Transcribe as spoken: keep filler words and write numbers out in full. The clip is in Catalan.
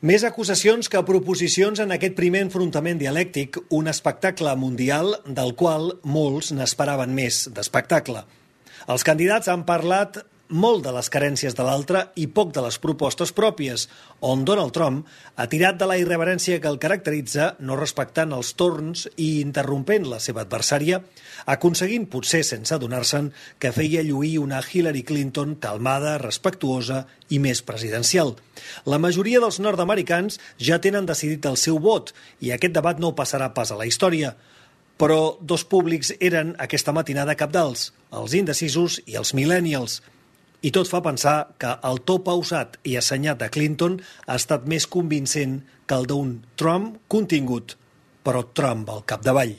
Més acusacions que proposicions en aquest primer enfrontament dialèctic, un espectacle mundial del qual molts n'esperaven més d'espectacle. Els candidats han parlat molt de les carències de l'altre i poc de les propostes pròpies, on Donald Trump ha tirat de la irreverència que el caracteritza, no respectant els torns i interrompent la seva adversària, aconseguint, potser sense adonar-se'n, que feia lluir una Hillary Clinton calmada, respectuosa i més presidencial. La majoria dels nord-americans ja tenen decidit el seu vot i aquest debat no passarà pas a la història. Però dos públics eren aquesta matinada cabdals, els indecisos i els millennials. I tot fa pensar que el to pausat i assenyat de Clinton ha estat més convincent que el d'un Trump contingut, però Trump al capdavall.